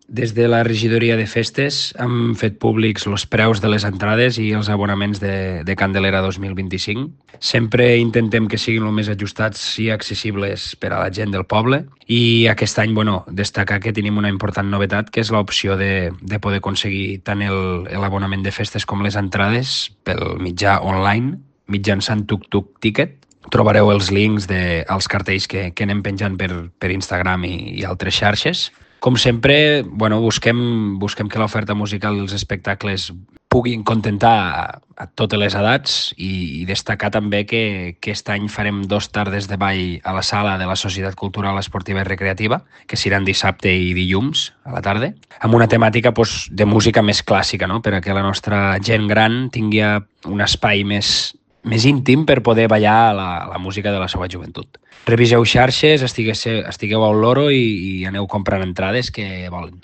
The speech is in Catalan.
Des de la regidoria de festes hem fet públics els preus de les entrades i els abonaments de Candelera 2025. Sempre intentem que siguin el més ajustats i accessibles per a la gent del poble i aquest any, destacar que tenim una important novetat, que és l'opció de poder aconseguir tant l'abonament de festes com les entrades pel mitjà online, mitjançant Tuk Ticket. Trobareu els links als cartells que anem penjant per Instagram i altres xarxes. Com sempre, busquem que l'oferta musical dels espectacles puguin contentar a totes les edats i destacar també que aquest any farem 2 tardes de ball a la sala de la Societat Cultural Esportiva i Recreativa, que seran dissabte i dilluns a la tarda, amb una temàtica de música més clàssica, no? Per a que la nostra gent gran tingui un espai més íntim per poder ballar la música de la seva joventut. Reviseu xarxes, estigueu al loro i aneu comprant entrades que volen.